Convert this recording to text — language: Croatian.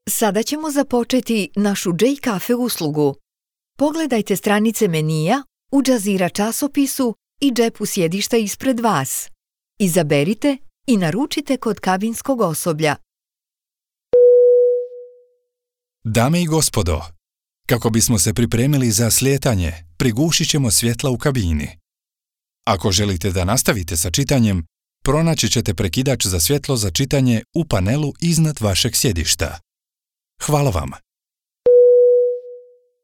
Sada ćemo započeti našu J-Cafe uslugu. Pogledajte stranice menija u Jazeera časopisu i džepu sjedišta ispred vas. Izaberite i naručite kod kabinskog osoblja. Dame i gospodo, kako bismo se pripremili za slijetanje, prigušit ćemo svjetla u kabini. Ako želite da nastavite sa čitanjem, pronaći ćete prekidač za svjetlo za čitanje u panelu iznad vašeg sjedišta. Hvala vam.